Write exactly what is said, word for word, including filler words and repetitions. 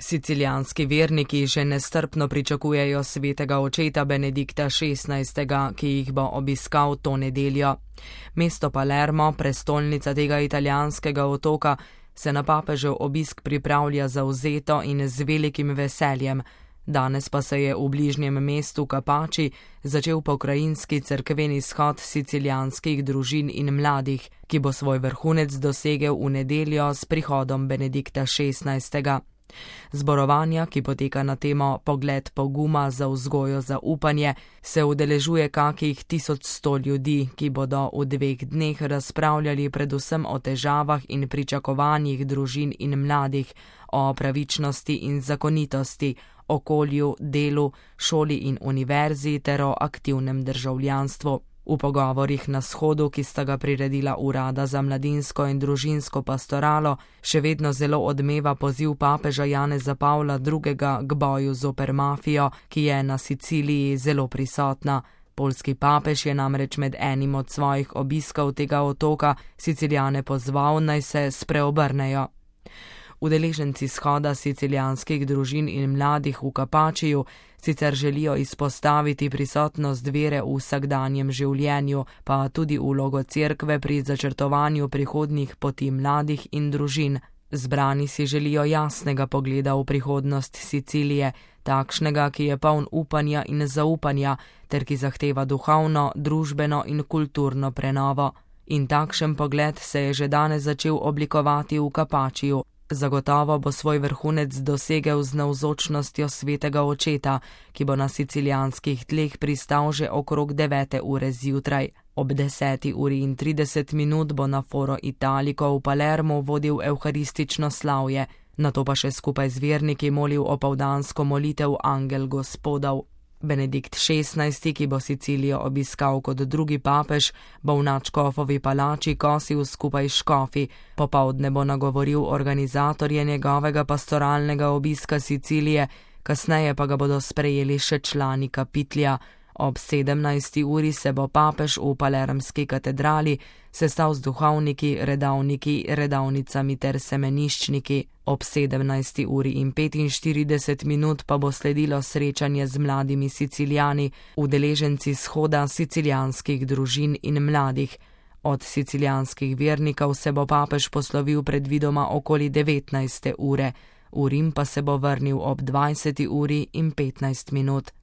Sicilijanski verniki že nestrpno pričakujejo svetega očeta Benedikta šestnajstega, ki jih bo obiskal to nedeljo. Mesto Palermo, prestolnica tega italijanskega otoka, se na papežev obisk pripravlja zavzeto in z velikim veseljem. Danes pa se je v bližnjem mestu Capaci začel pokrajinski cerkveni shod sicilijanskih družin in mladih, ki bo svoj vrhunec dosegel v nedeljo s prihodom Benedikta šestnajstega. Zborovanja, ki poteka na temo Pogled poguma za vzgojo za upanje, se udeležuje kakih tisoč sto ljudi, ki bodo v dveh dneh razpravljali predvsem o težavah in pričakovanjih družin in mladih, o pravičnosti in zakonitosti, okolju, delu, šoli in univerzi ter o aktivnem državljanstvu. V pogovorih na shodu, ki sta ga priredila Urada za mladinsko in družinsko pastoralo, še vedno zelo odmeva poziv papeža Janeza Pavla drugega k boju zoper mafijo, ki je na Siciliji zelo prisotna. Poljski papež je namreč med enim od svojih obiskov tega otoka Sicilijane pozval, naj se spreobrnejo. Udeleženci shoda sicilijanskih družin in mladih v Capaciju sicer želijo izpostaviti prisotnost vere v vsakdanjem življenju, pa tudi vlogo cerkve pri začrtovanju prihodnjih poti mladih in družin. Zbrani si želijo jasnega pogleda v prihodnost Sicilije, takšnega, ki je poln upanja in zaupanja, ter ki zahteva duhovno, družbeno in kulturno prenovo. In takšen pogled se je že danes začel oblikovati v Capaciju. Zagotovo bo svoj vrhunec dosegel z navzočnostjo svetega očeta, ki bo na sicilijanskih tleh pristal že okrog devete ure zjutraj. Ob deseti uri in trideset minut bo na Foro Italico v Palermu vodil evharistično slavje, nato pa še skupaj z verniki molil opoldansko molitev Angel Gospodov. Benedikt šestnajsti, ki bo Sicilijo obiskal kot drugi papež, bo v nadškofovi palači kosil skupaj s škofi, popoldne bo nagovoril organizatorje njegovega pastoralnega obiska Sicilije, kasneje pa ga bodo sprejeli še člani kapitlja. Ob sedemnajsti uri se bo papež v palermski katedrali sestal z duhovniki, redavniki, redavnicami ter semeniščniki. Ob sedemnajsti uri in petinštirideset minut pa bo sledilo srečanje z mladimi Sicilijani, udeleženci shoda sicilijanskih družin in mladih. Od sicilijanskih vernikov se bo papež poslovil predvidoma okoli devetnajste ure, v Rim pa se bo vrnil ob dvajseti uri in petnajst minut.